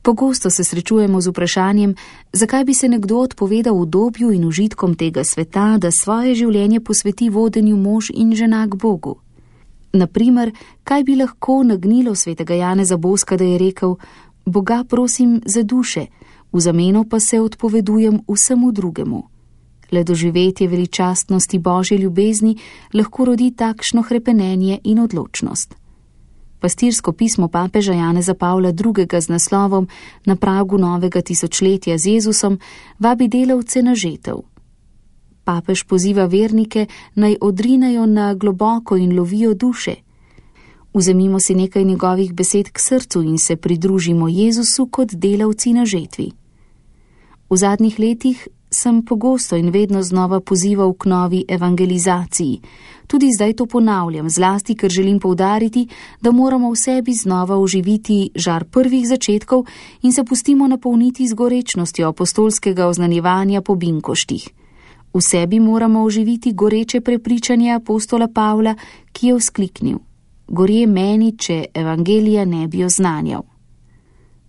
Pogosto se srečujemo z vprašanjem, zakaj bi se nekdo odpovedal udobju in užitkom tega sveta, da svoje življenje posveti vodenju mož in žena k Bogu. Naprimer, kaj bi lahko nagnilo svetega Janeza Boska, da je rekel: Boga prosim za duše, v zameno pa se odpovedujem vsemu drugemu. Le doživetje veličastnosti Božje ljubezni lahko rodi takšno hrepenenje in odločnost. Pastirsko pismo papeža Janeza Pavla II. Z naslovom Na pragu novega tisočletja z Jezusom vabi delavce na žetev. Papež poziva vernike, naj odrinejo na globoko in lovijo duše. Vzemimo si nekaj njegovih besed k srcu in se pridružimo Jezusu kot delavci na žetvi. V zadnjih letih sem pogosto in vedno znova pozival k novi evangelizaciji. Tudi zdaj to ponavljam, zlasti ker želim poudariti, da moramo v sebi znova oživiti žar prvih začetkov in se pustimo napolniti z gorečnostjo apostolskega oznanjevanja po binkoštih. V sebi moramo oživiti goreče prepričanje apostola Pavla, ki je vzkliknil: Gorje meni, če evangelija ne bi oznanjal.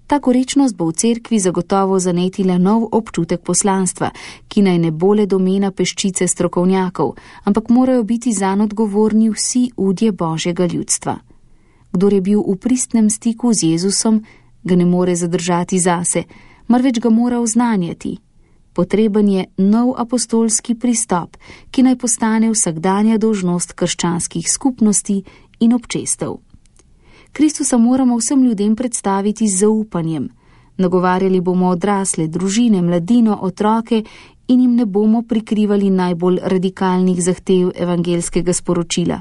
Ta gorečnost bo v cerkvi zagotovo zanetila nov občutek poslanstva, ki naj ne bo le domena peščice strokovnjakov, ampak morajo biti zanj odgovorni vsi udje Božjega ljudstva. Kdor je bil v pristnem stiku z Jezusom, ga ne more zadržati zase, marveč ga mora oznanjati. Potreben je nov apostolski pristop, ki naj postane vsakdanja dolžnost krščanskih skupnosti in občestev. Kristusa moramo vsem ljudem predstaviti z zaupanjem. Nagovarjali bomo odrasle, družine, mladino, otroke in jim ne bomo prikrivali najbolj radikalnih zahtev evangelskega sporočila,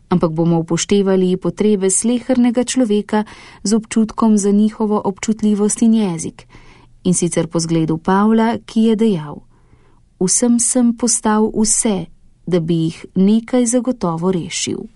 ampak bomo upoštevali potrebe slehernega človeka z občutkom za njihovo občutljivost in jezik. In sicer po zgledu Pavla, ki je dejal: Vsem sem postal vse, da bi jih nekaj zagotovo rešil.